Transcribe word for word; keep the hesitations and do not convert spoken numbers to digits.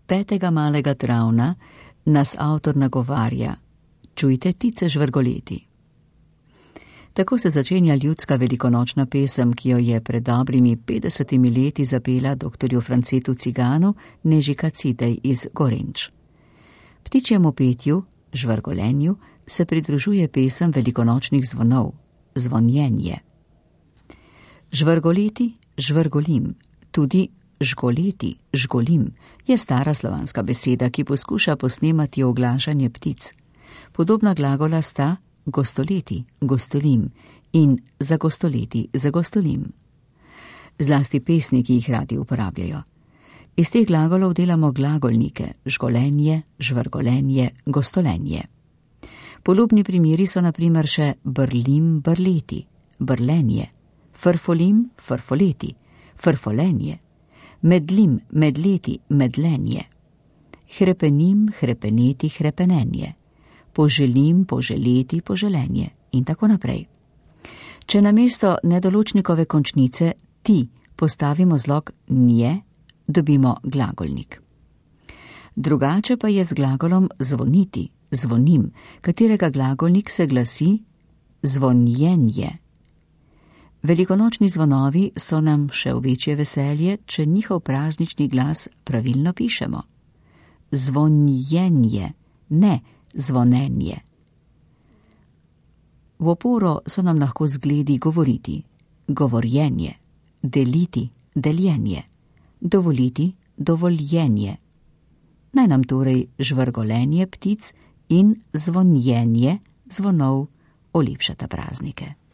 petega malega travna nas avtor nagovarja: čujte ptice žvrgoleti. Tako se začenja ljudska velikonočna pesem, ki jo je pred dobrimi petdesetimi leti zapela doktorju Francetu Ciganu Nežika Cidej iz Gorenč. Ptičjemu petju, žvrgolenju, se pridružuje pesem velikonočnih zvonov, zvonjenje. Žvrgoleti, žvrgolim, tudi žgoleti, žgolim, je stara slovanska beseda, ki poskuša posnemati oglašanje ptic. Podobna glagola sta gostoleti, gostolim in zagostoleti, zagostolim. Zlasti pesniki jih radi uporabljajo. Iz teh glagolov delamo glagolnike, žgolenje, žvrgolenje, gostolenje. Podobni primeri so na primer še brlim, brleti, brlenje, frfolim, frfoleti, frfolenje, medlim, medleti, medlenje, hrepenim, hrepeneti, hrepenenje, poželim, poželeti, poželenje in tako naprej. Če namesto nedoločnikove končnice ti postavimo zlog nje, dobimo glagolnik. Drugače pa je z glagolom zvoniti, zvonim, katerega glagolnik se glasi zvonjenje. Velikonočni zvonovi so nam še v večje veselje, če njihov praznični glas pravilno pišemo. Zvonjenje, ne zvonenje. V oporo so nam lahko zgledi govoriti, govorjenje, deliti, deljenje, dovoliti, dovoljenje. Naj nam torej žvrgolenje ptic in zvonjenje zvonov olepšata praznike.